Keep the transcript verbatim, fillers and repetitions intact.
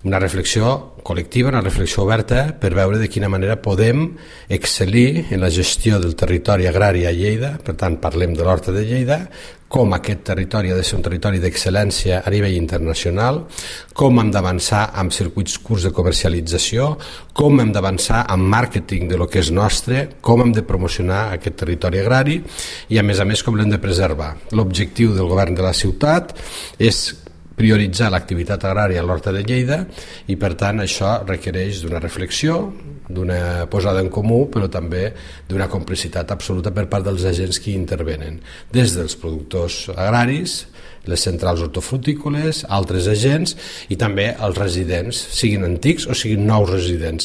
Una reflexió col·lectiva, una reflexió oberta per veure de quina manera podem excel·lir en la gestió del territori agrari a Lleida. Per tant, parlem de l'Horta de Lleida, com aquest territori ha de ser un territori d'excel·lència a nivell internacional, com hem d'avançar amb circuits curts de comercialització, com hem d'avançar amb màrqueting de lo que és nostre, com hem de promocionar aquest territori agrari i, a més a més, com l'hem de preservar. L'objectiu del govern de la ciutat és prioritzar l'activitat agrària a l'Horta de Lleida i, per tant, això requereix d'una reflexió, d'una posada en comú, però també d'una complicitat absoluta per part dels agents que hi intervenen, des dels productors agraris, les centrals hortofrutícoles, altres agents i també els residents, siguin antics o siguin nous residents.